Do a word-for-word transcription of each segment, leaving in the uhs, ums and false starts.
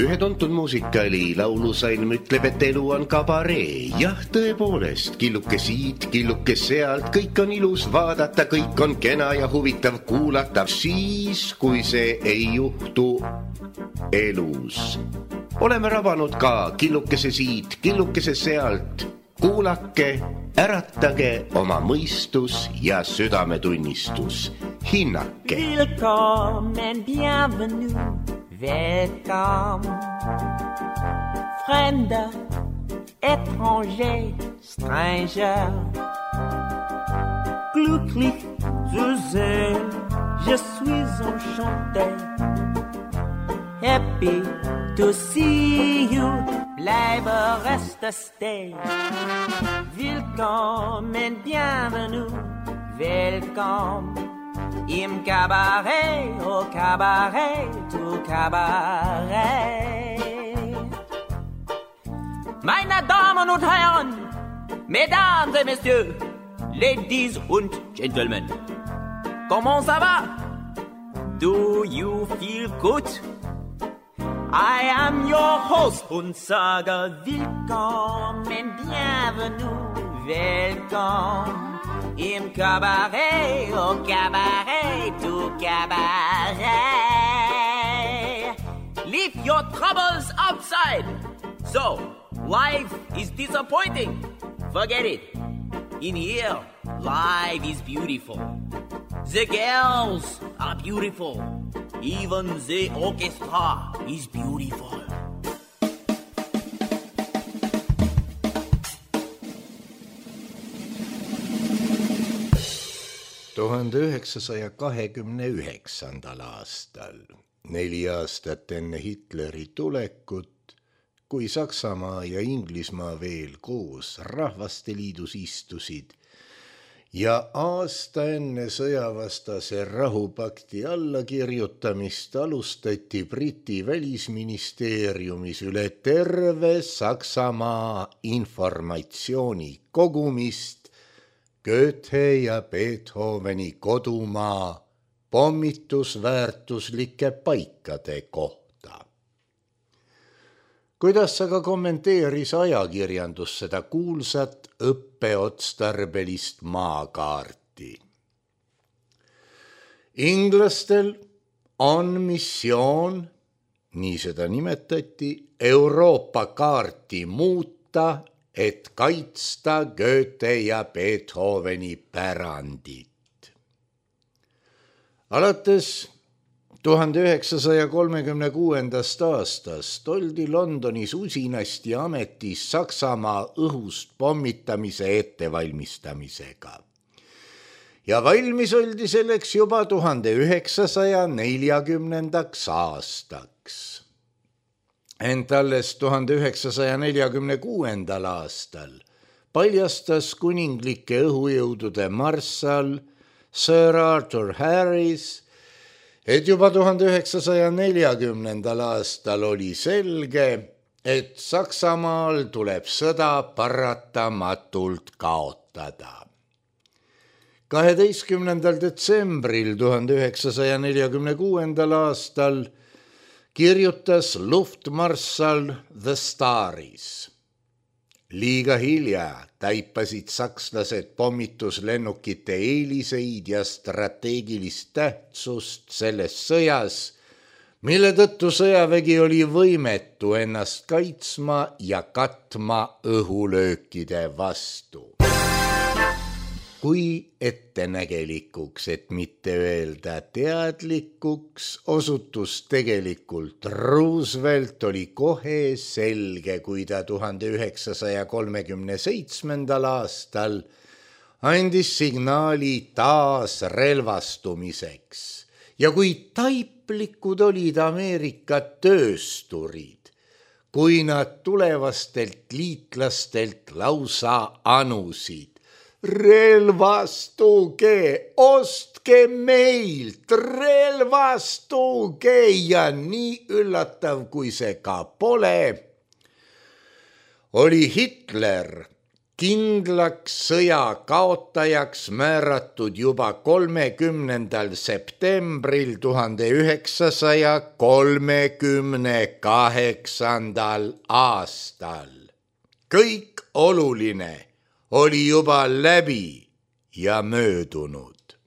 Ühe tuntud muusikali laulusalm ütleb, et elu on kabaree. Jah, tõepoolest, killuke siit, killuke sealt, kõik on ilus vaadata, kõik on kena ja huvitav kuulata, siis kui see ei juhtu elus. Oleme rabanud ka killukese siit, killukese sealt. Kuulake, äratage oma mõistus ja südametunnistus. Hinnake. Willkommen, bienvenue, welcome. Fremder, étranger, stranger. Glücklich zu sehen, je suis enchanté. Happy to see you, bleibe reste stay. Willkommen, bienvenue, welcome. Im Cabaret, au Cabaret, au Cabaret. Meine Damen und Herren, Mesdames et Messieurs, Ladies und Gentlemen, comment ça va? Do you feel good? I am your host und sage willkommen, bienvenue, welcome. Im Cabaret, au Cabaret, au Cabaret. Leave your troubles outside. So, life is disappointing. Forget it. In here, life is beautiful. The girls are beautiful. Even the orchestra is beautiful. tuhande üheksasaja kahekümne üheksandal aastal, neli aastat enne Hitleri tulekut, kui Saksamaa ja Inglismaa veel koos Rahvasteliidus istusid ja aasta enne sõjavastase rahupakti allakirjutamist alustati Briti välisministeeriumis üle terve Saksamaa informatsiooni kogumist Goethe ja Beethoveni kodumaa pommitusväärtuslike paikade kohta. Kuidas aga kommenteeris ajakirjandus seda kuulsat õppeotstarbelist maakaarti? Inglastel on missioon, nii seda nimetati, Euroopa kaarti muuta, et kaitsta Goethe ja Beethoveni pärandit. Alates tuhande üheksasaja kolmekümne kuuendast aastast oldi Londonis usinasti ametis Saksamaa õhust pommitamise ettevalmistamisega. Ja valmis oldi selleks juba tuhande üheksasaja neljakümnendaks aastaks. Ent alles tuhande üheksasaja neljakümne kuuendal aastal paljastas kuninglike õhujõudude marssal Sir Arthur Harris, et juba tuhande üheksasaja neljakümnendal aastal oli selge, et Saksamaal tuleb sõda paratamatult kaotada. kaheteistkümnendal detsembril tuhande üheksasaja neljakümne kuuendal aastal kirjutas luftmarssal The Staris. Liiga hilja taipasid sakslased pommituslennukite eeliseid ja strateegilist tähtsust selles sõjas, mille tõttu sõjavägi oli võimetu ennast kaitsma ja katma õhulöökide vastu. Kui ettenägelikuks, et mitte öelda teadlikuks, osutus tegelikult Roosevelt oli kohe selge, kui ta tuhande üheksasaja kolmekümne seitsmendal aastal andis signaali taas relvastumiseks. Ja kui taiplikud olid Ameerika töösturid, kui nad tulevastelt liitlastelt lausa anusid, relvastuge, ostke meilt, relvastuge ja nii üllatav, kui see ka pole, oli Hitler kindlaks sõja kaotajaks määratud juba kolmekümnendal septembril tuhande üheksasaja kolmekümne kaheksandal aastal. Kõik oluline oli juba läbi ja möödunud.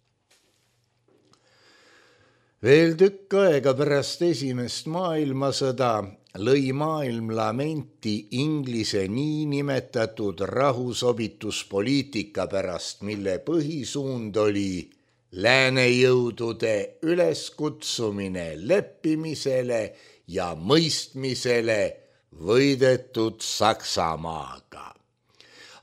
Veel tükk aega pärast esimest maailmasõda lõi maailm lamenti Inglise niinimetatud rahusobituspoliitika pärast, mille põhisuund oli läänejõudude üleskutsumine leppimisele ja mõistmisele võidetud Saksamaaga.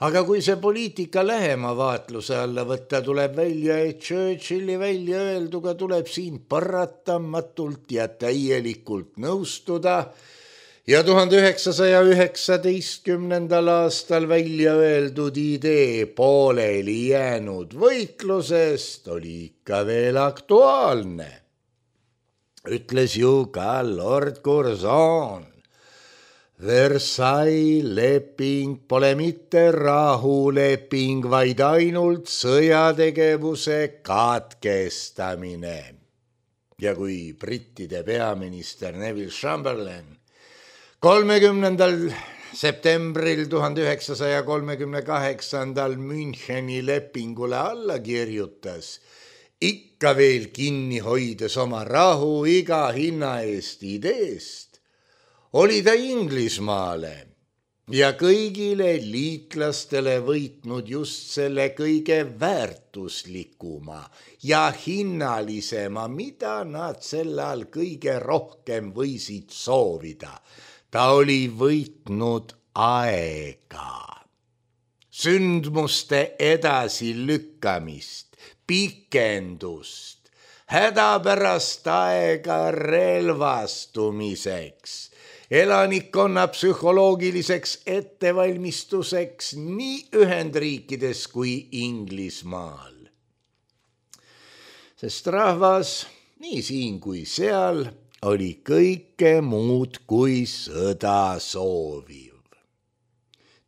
Aga kui see poliitika lähema vaatluse alla võtta, tuleb välja, et Churchilli välja öelduga tuleb siin paratamatult ja täielikult nõustuda ja tuhande üheksasaja üheksateistkümnendal aastal välja öeldud idee pooleli jäänud võitlusest oli ikka veel aktuaalne. Ütles ju ka Lord Curzon. Versailles leping pole mitte rahuleping, vaid ainult sõjategevuse katkestamine. Ja kui brittide peaminister Neville Chamberlain kolmekümnendal septembril tuhande üheksasaja kolmekümne kaheksandal Müncheni lepingule alla kirjutas, ikka veel kinni hoides oma rahu iga hinna eest ideest, oli ta Inglismaale ja kõigile liitlastele võitnud just selle kõige väärtuslikuma ja hinnalisema, mida nad sellal kõige rohkem võisid soovida. Ta oli võitnud aega, sündmuste edasilükkamist, pikendust, hädapärast aega relvastumiseks, elanikkonna psühholoogiliseks ettevalmistuseks nii Ühendriikides kui Inglismaal. Sest rahvas, nii siin kui seal, oli kõike muud kui sõda sooviv.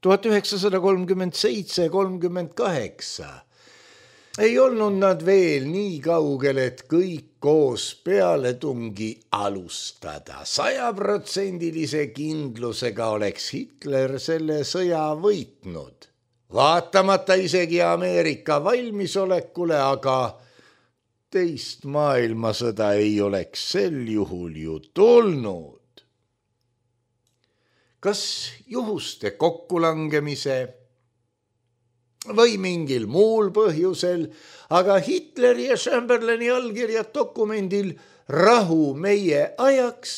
tuhat üheksasada kolmkümmend seitse kolmkümmend kaheksa ei olnud nad veel nii kaugel, et kõik koos pealetungi alustada. Sajaprotsendilise kindlusega oleks Hitler selle sõja võitnud. Vaatamata isegi Ameerika valmisolekule, aga teist maailmasõda ei oleks sel juhul ju tulnud. Kas juhuste kokkulangemise või mingil muul põhjusel, aga Hitleri ja Chamberlaini allkirjad dokumendil rahu meie ajaks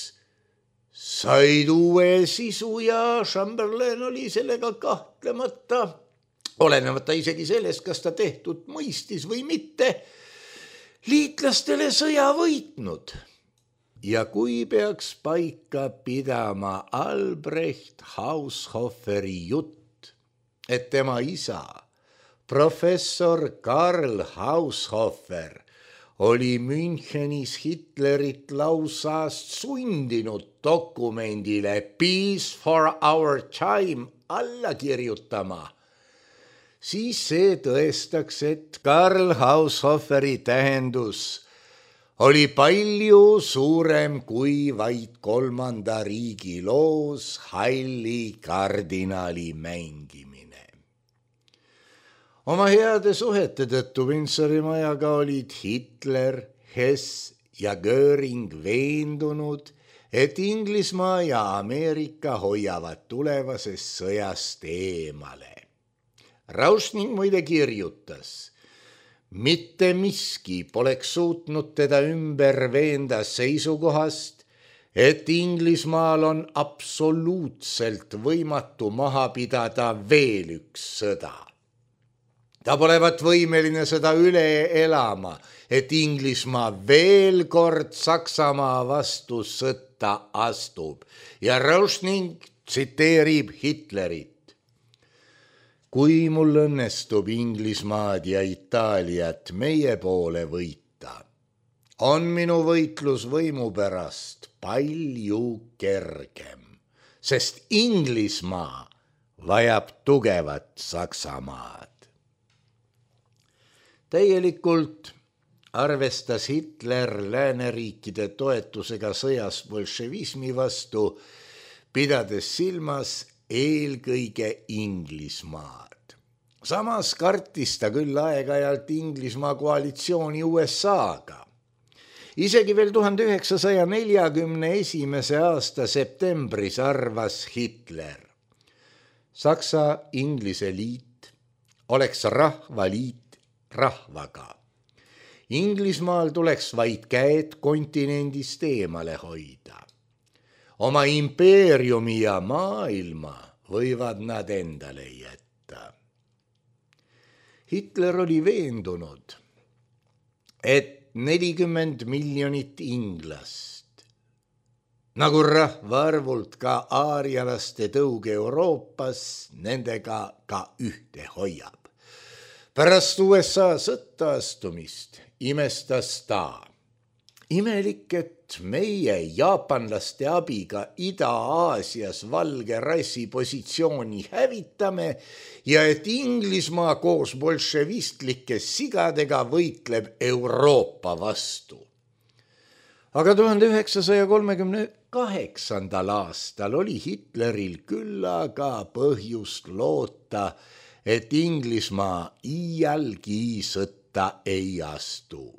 said uue sisu ja Chamberlain oli sellega kahtlemata, olenemata isegi sellest, kas ta tehtud mõistis või mitte, liitlastele sõja võitnud. Ja kui peaks paika pidama Albrecht Haushoferi jutt, et tema isa, professor Karl Haushofer, oli Münchenis Hitlerit lausast sundinud dokumendile Peace for our time alla kirjutama, siis see tõestaks, et Karl Haushoferi tähendus oli palju suurem kui vaid kolmanda riigi loos halli kardinali mängimine. Oma heade suhete tõttu Windsori majaga olid Hitler, Hess ja Göring veendunud, et Inglismaa ja Ameerika hoiavad tulevasest sõjast eemale. Rauschning muide kirjutas, mitte miski poleks suutnud teda ümber veenda seisukohast, et Inglismaal on absoluutselt võimatu maha pidada veel üks sõda. Ta polevat võimeline seda üle elama, et Inglismaa veel kord Saksamaa vastu sõtta astub ja Rauschning tsiteerib Hitlerit. Kui mul õnnestub Inglismaad ja Itaaliat meie poole võita, on minu võitlus võimu pärast palju kergem, sest Inglismaa vajab tugevat Saksamaad. Täielikult arvestas Hitler lääneriikide toetusega sõjas bolševismi vastu, pidades silmas eelkõige Inglismaad. Samas kartis ta küll aeg-ajalt Inglismaa koalitsiooni U S A-ga. Isegi veel tuhande üheksasaja neljakümne esimese aasta septembris arvas Hitler: Saksa-Inglise liit oleks rahvaliit rahvaga. Inglismaal tuleks vaid käed kontinendist eemale hoida. Oma impeeriumi ja maailma võivad nad endale jätta. Hitler oli veendunud, et nelikümmend miljonit inglast, nagu rahvaarvult ka aarialaste tõug Euroopas, nendega ka ühte hoiab. Pärast U S A sõtta astumist imestas ta. Imelik, et meie jaapanlaste abiga Ida-Aasias valge rassi positsiooni hävitame ja et Inglismaa koos bolševistlike sigadega võitleb Euroopa vastu. Aga tuhande üheksasaja kolmekümne kaheksandal aastal oli Hitleril küllaga põhjust loota, et Inglismaa iialgi sõtta ei astu.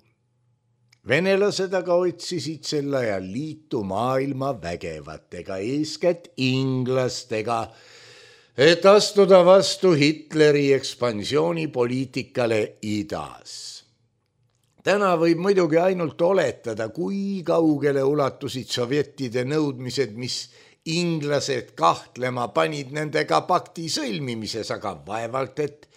Venelased aga otsisid sel ajal liitu maailma vägevatega, eeskätt inglastega, et astuda vastu Hitleri ekspansioonipoliitikale idas. Täna võib muidugi ainult oletada, kui kaugele ulatusid sovjettide nõudmised, mis inglased kahtlema panid nendega pakti sõlmimises, aga vaevalt, et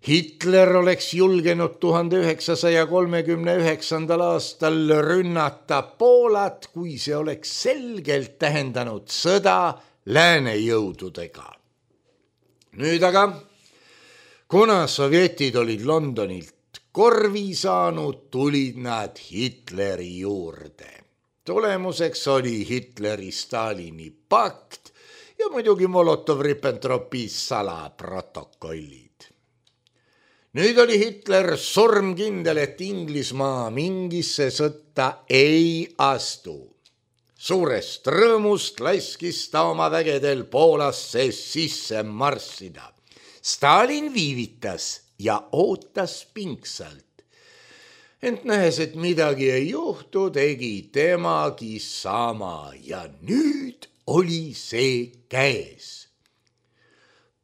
Hitler oleks julgenud tuhande üheksasaja kolmekümne üheksandal aastal rünnata Poolat, kui see oleks selgelt tähendanud sõda lääne jõududega. Nüüd aga, kuna sovjetid olid Londonilt korvi saanud, tulid nad Hitleri juurde. Tulemuseks oli Hitleri-Stalini pakt ja muidugi Molotov-Ribbentropi salaprotokollid. Nüüd oli Hitler surmkindel, et Inglismaa mingisse sõtta ei astu. Suurest rõõmust laskis ta oma vägedel Poolasse sisse marssida. Stalin viivitas ja ootas pingsalt. Ent nähes, et midagi ei juhtu, tegi temagi sama ja nüüd oli see käes.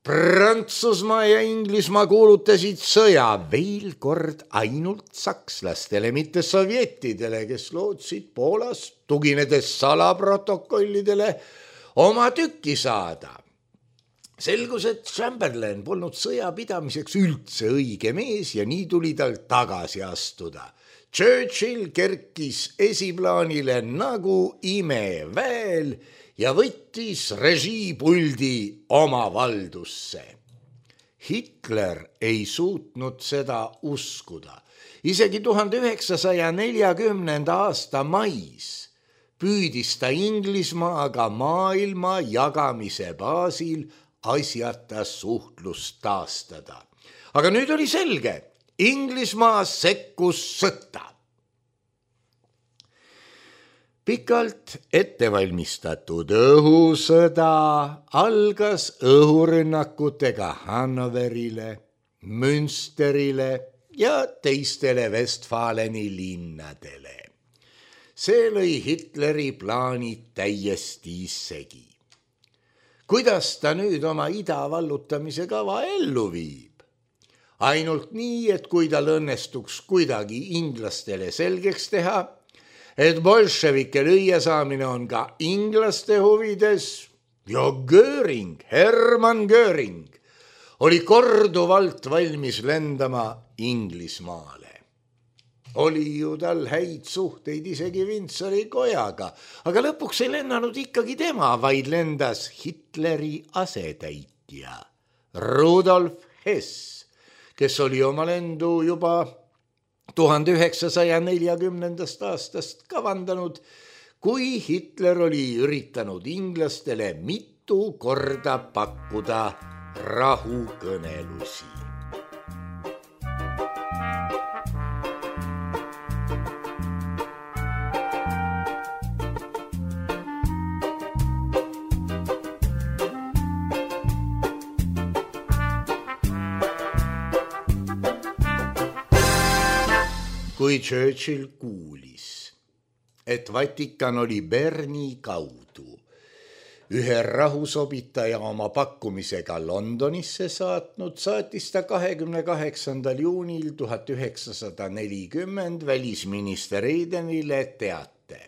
Prantsusmaa ja Inglismaa kuulutasid sõja veel kord ainult sakslastele, mitte sovjettidele, kes lootsid Poolas, tuginedes salaprotokollidele, oma tükki saada. Selgus, et Chamberlain polnud sõja pidamiseks üldse õige mees ja nii tuli tal tagasi astuda. Churchill kerkis esiplaanile nagu imeväel ja võttis režiipuldi oma valdusse. Hitler ei suutnud seda uskuda. Isegi tuhande üheksasaja neljakümnenda aasta mais püüdis ta Inglismaaga maailma jagamise baasil asjata suhtlust taastada. Aga nüüd oli selge, Inglismaa sekkus sõtta. Pikalt ettevalmistatud õhusõda algas õhurünnakutega Hannoverile, Münsterile ja teistele Westfaleni linnadele. See lõi Hitleri plaanid täiesti segi. Kuidas ta nüüd oma ida vallutamise kava ellu viib? Ainult nii, et kui tal õnnestuks kuidagi inglastele selgeks teha, et bolševike lüüa saamine on ka inglaste huvides ja Göring, Hermann Göring, oli korduvalt valmis lendama Inglismaale. Oli ju tal häid suhteid isegi Windsori kojaga, aga lõpuks ei lennanud ikkagi tema, vaid lendas Hitleri asetäitja Rudolf Hess, kes oli oma lendu juba tuhande üheksasaja neljakümnendast aastast kavandanud, kui Hitler oli üritanud inglastele mitu mitu korda pakkuda rahukõnelusi. Kui Churchill kuulis, et Vatikan oli Berni kaudu ühe rahusobitaja oma pakkumisega Londonisse saatnud, saatis ta kahekümne kaheksandal juunil tuhat üheksasada nelikümmend välisminister Aidenile teate.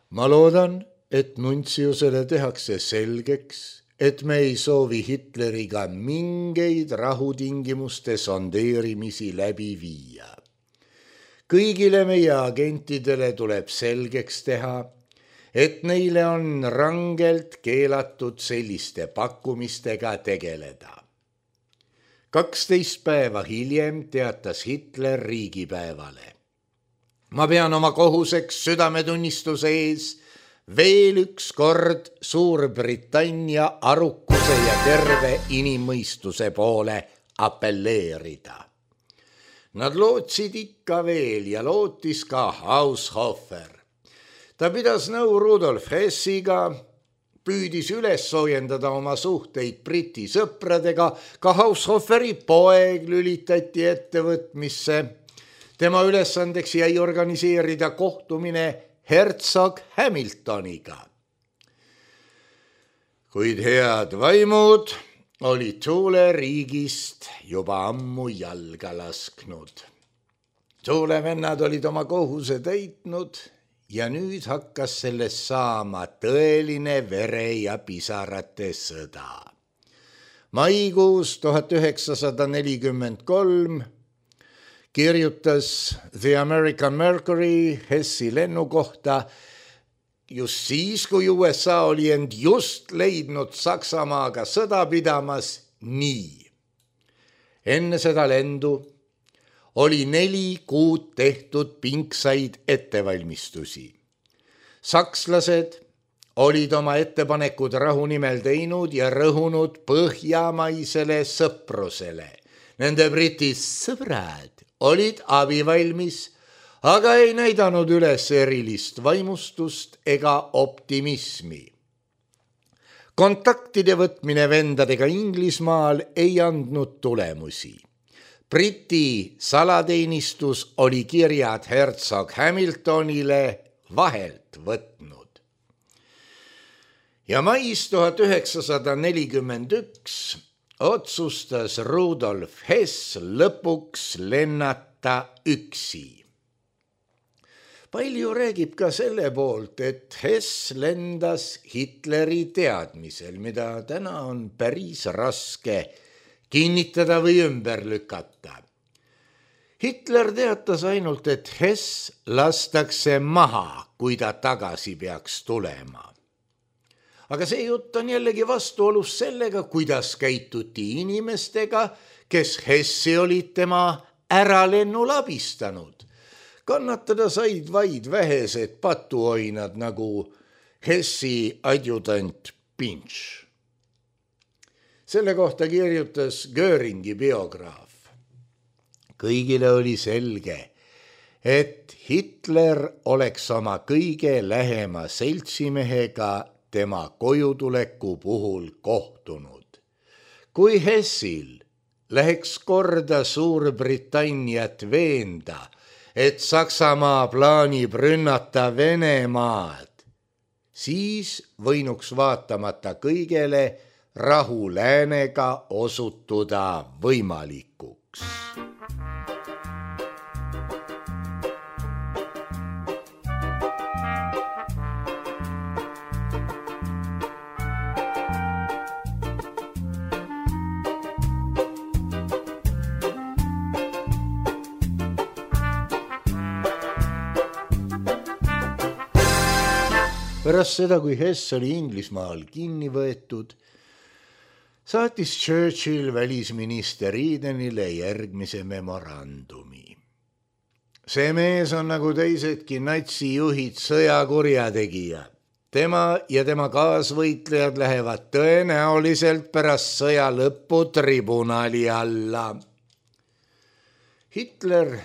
Ma loodan, et nuntsiusele tehakse selgeks, et me ei soovi Hitleriga mingeid rahutingimuste sondeerimisi läbi viia. Kõigile meie agentidele tuleb selgeks teha, et neile on rangelt keelatud selliste pakkumistega tegeleda. kaksteist päeva hiljem teatas Hitler riigipäevale. Ma pean oma kohuseks südametunnistuse ees veel üks kord Suurbritannia arukuse ja terve inimmõistuse poole appelleerida. Nad lootsid ikka veel ja lootis ka Haushofer. Ta pidas nõu Rudolf Hessiga, püüdis üles soojendada oma suhteid Briti sõpradega, ka Haushoferi poeg lülitati ettevõtmisse. Tema ülesandeks jäi organiseerida kohtumine Herzog Hamiltoniga. Kuid head vaimud oli Tuule riigist juba ammu jalga lasknud. Tuule vennad olid oma kohuse täitnud ja nüüd hakkas sellest saama tõeline vere ja pisarate sõda. Maikuus tuhat üheksasada nelikümmend kolm kirjutas The American Mercury Hessi lennu kohta just siis, kui U S A oli end just leidnud Saksamaaga sõda pidamas nii. Enne seda lendu oli neli kuud tehtud pinksaid ettevalmistusi. Sakslased olid oma ettepanekud rahu nimel teinud ja rõhunud põhjamaisele sõprusele. Nende Briti sõbrad olid abivalmis, aga ei näidanud üles erilist vaimustust ega optimismi. Kontaktide võtmine vendadega Inglismaal ei andnud tulemusi. Briti salateenistus oli kirjad Herzog Hamiltonile vahelt võtnud. Ja mais tuhat üheksasada nelikümmend üks otsustas Rudolf Hess lõpuks lennata üksi. Palju räägib ka selle poolt, et Hess lendas Hitleri teadmisel, mida täna on päris raske kinnitada või ümber lükata. Hitler teatas ainult, et Hess lastakse maha, kui ta tagasi peaks tulema. Aga see jutt on jällegi vastuolus sellega, kuidas käituti inimestega, kes Hessi olid tema äralennul abistanud. Kannatada said vaid vähesed patuoinad nagu Hessi adjutant Pinch. Selle kohta kirjutas Göringi biograaf. Kõigile oli selge, et Hitler oleks oma kõige lähema seltsimehega tema kojutuleku puhul kohtunud. Kui Hessil läheks korda Suurbritanniat veenda, et Saksamaa plaanib rünnata Venemaad, siis võinuks vaatamata kõigele rahu läänega osutuda võimalikuks. Pärast seda, kui Hess oli Inglismaal kinni võetud, saatis Churchill välisminister Aidenile järgmise memorandumi. See mees on nagu teisedki natsijuhid sõjakurjategija. Tema ja tema kaasvõitlejad lähevad tõenäoliselt pärast sõja lõppu tribunali alla. Hitler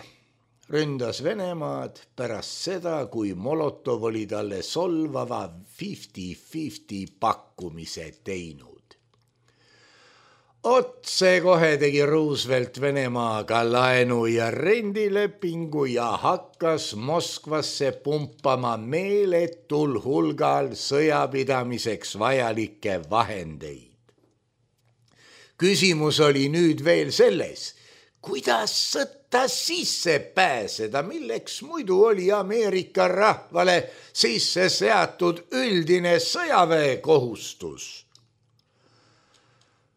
ründas Venemaad pärast seda, kui Molotov oli talle solvava fifty fifty pakkumise teinud. Otse kohe tegi Roosevelt Venemaaga laenu ja rendilepingu ja hakkas Moskvasse pumpama meeletul hulgal sõjapidamiseks vajalikke vahendeid. Küsimus oli nüüd veel selles, kuidas sõtta sisse pääseda, milleks muidu oli Ameerika rahvale sisse seatud üldine sõjaväekohustus.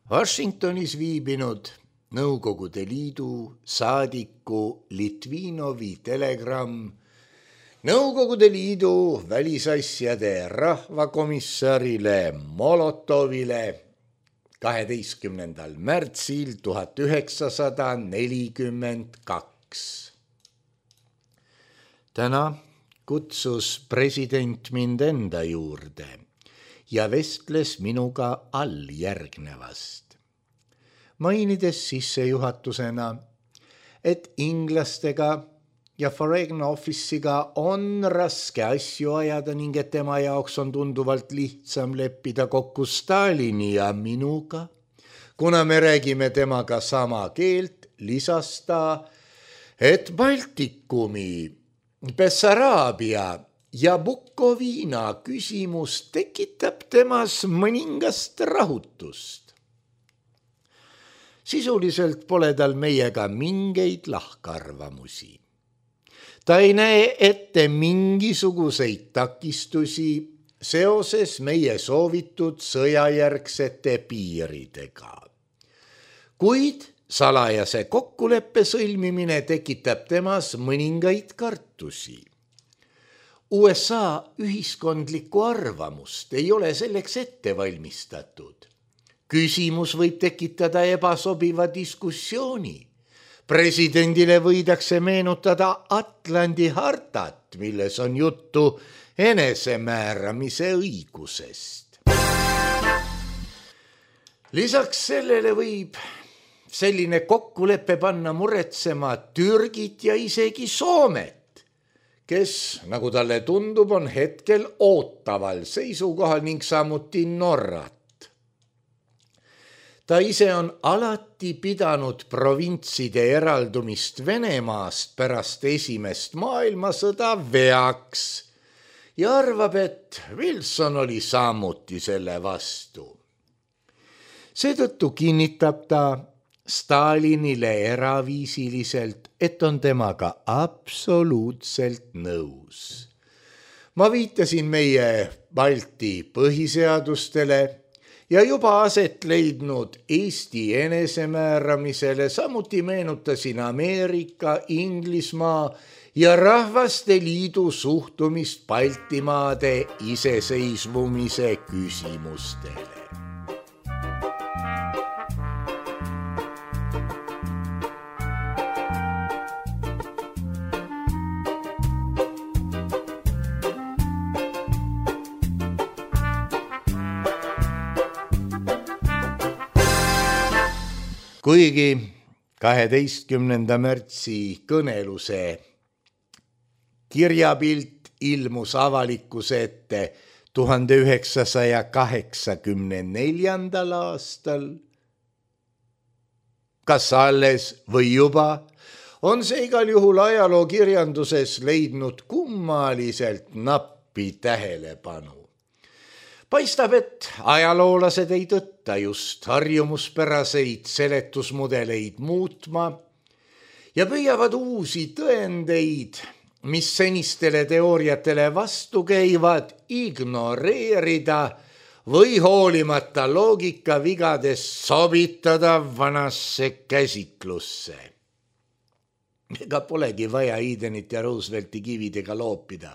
Washingtonis viibinud Nõukogude Liidu saadiku Litvinovi telegramm Nõukogude Liidu välisasjade rahvakomissarile Molotovile kaheteistkümnendal märtsil tuhat üheksasada nelikümmend kaks. Täna kutsus president mind enda juurde ja vestles minuga alljärgnevast. Mainides sissejuhatusena, et inglastega ja Foreign Office'iga on raske asju ajada ning et tema jaoks on tunduvalt lihtsam leppida kokku Stalini ja minuga, kuna me räägime temaga sama keelt, lisas ta, et Baltikumi, Bessaraabia ja Bukoviina küsimus tekitab temas mõningast rahutust. Sisuliselt pole tal meiega mingeid lahkarvamusi. Ta ei näe ette mingisuguseid takistusi seoses meie soovitud sõjajärgsete piiridega. Kuid salajase kokkuleppe sõlmimine tekitab temas mõningaid kartusi. U S A ühiskondlikku arvamust ei ole selleks ette valmistatud. Küsimus võib tekitada ebasobiva diskussiooni. Presidendile võidakse meenutada Atlandi hartat, milles on juttu enesemääramise õigusest. Lisaks sellele võib selline kokkulepe panna muretsema Türgit ja isegi Soomet, kes, nagu talle tundub, on hetkel ootaval seisukohal ning samuti Norrat. Ta ise on alati pidanud provintside eraldumist Venemaast pärast esimest maailmasõda veaks ja arvab, et Wilson oli samuti selle vastu. Seetõttu kinnitab ta Stalinile eraviisiliselt, et on temaga absoluutselt nõus. Ma viitasin meie Balti põhiseadustele ja juba aset leidnud Eesti enesemääramisele, samuti meenutasin Ameerika, Inglismaa ja Rahvaste Liidu suhtumist Baltimaade iseseisvumise küsimustele. Kuigi kaheteistkümnenda märtsi kõneluse kirjapilt ilmus avalikkuse ette tuhande üheksasaja kaheksakümne neljandal aastal, kas alles või juba, on see igal juhul ajalookirjanduses leidnud kummaliselt nappi tähelepanu. Paistab, et ajaloolased ei tõtta just harjumuspäraseid seletusmudeleid muutma ja püüavad uusi tõendeid, mis senistele teooriatele vastu käivad, ignoreerida või hoolimata loogika vigadest sobitada vanasse käsitlusse. Ega polegi vaja Edenit ja Roosevelti kividega loopida.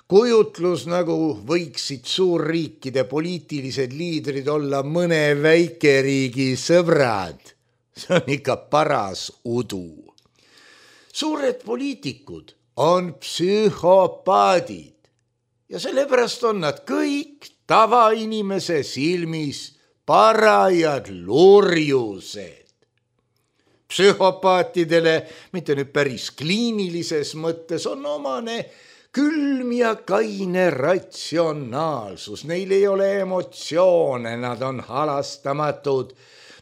Kujutlus, nagu võiksid suurriikide poliitilised liidrid olla mõne väikeriigi sõbrad, see on ikka paras udu. Suured poliitikud on psühhopaadid ja sellepärast on nad kõik tavainimese silmis parajad lurjused. Psühhopaatidele, mitte nüüd päris kliinilises mõttes, on omane külm ja kaine ratsionaalsus. Neil ei ole emotsioone, nad on halastamatud,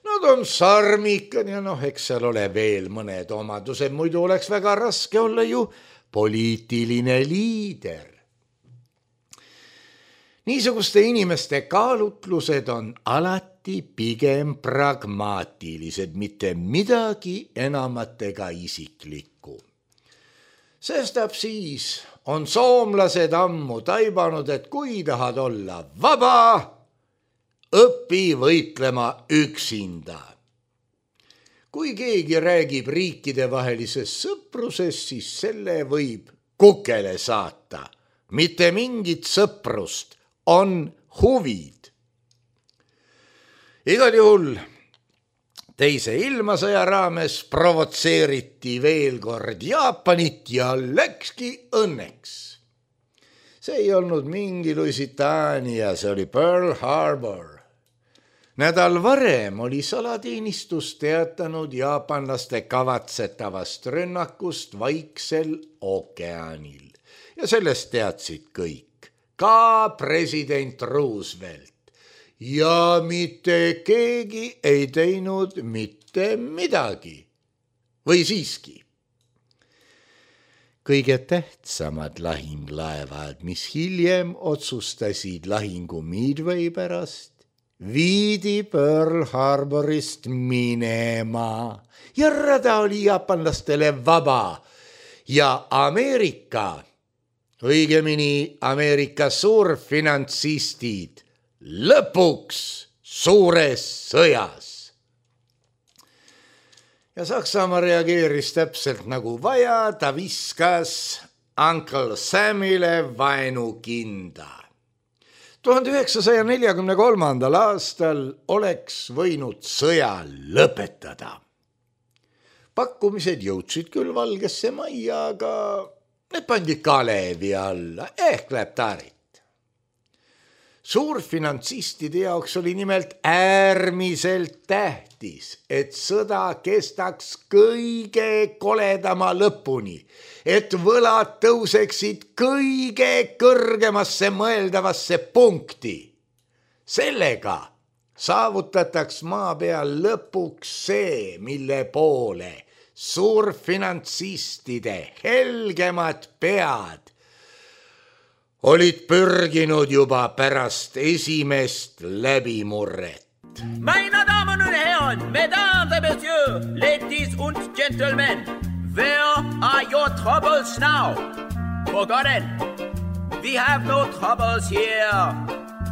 nad on sarmikad ja noh, eks seal ole veel mõned omadused, muidu oleks väga raske olla ju poliitiline liider. Niisuguste inimeste kaalutlused on alati pigem pragmaatilised, mitte midagi enamat ega isiklikku. Sestap siis on soomlased ammu taibanud, et kui tahad olla vaba, õpi võitlema üksinda. Kui keegi räägib riikidevahelisest sõprusest, siis selle võib kukele saata. Mitte mingit sõprust, on huvid. Igal juhul teise ilmasõja raames provotseeriti veel kord Jaapanit ja läkski õnneks. See ei olnud mingi Lusitaania, see oli Pearl Harbor. Nädal varem oli salateenistus teatanud jaapanlaste kavatsetavast rünnakust Vaiksel ookeanil ja sellest teadsid kõik. Ka president Roosevelt ja mitte keegi ei teinud mitte midagi. Või siiski? Kõige tähtsamad lahinglaevad, mis hiljem otsustasid lahingu Midway pärast, viidi Pearl Harborist minema ja rada oli jaapanlastele vaba ja Ameerika, õigemini Ameerika suurfinantsistid lõpuks suures sõjas. Ja Saksamaa reageeris täpselt nagu vaja, ta viskas Uncle Samile vaenukinda. tuhande üheksasaja neljakümne kolmandal aastal oleks võinud sõja lõpetada. Pakkumised jõudsid küll Valgesse Majja, aga need pandi Kalevi alla ehk Leptarit. Suurfinantsistide jaoks oli nimelt äärmiselt tähtis, et sõda kestaks kõige koledama lõpuni, et võlad tõuseksid kõige kõrgemasse mõeldavasse punkti. Sellega saavutataks maa peal lõpuks see, mille poole suurfinantsistide helgemad pead olid pürginud juba pärast esimest läbimurret. Meine Damen und Herren, Mesdames et Messieurs, ladies und gentlemen, where are your troubles now? Forgotten, we have no troubles here.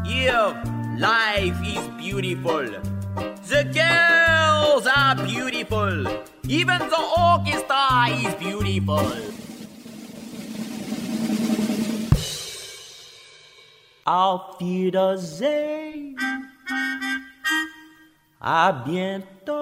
Here, life is beautiful. The girls are beautiful. Even the orchestra is beautiful. Auf Wiedersehen. À bientôt.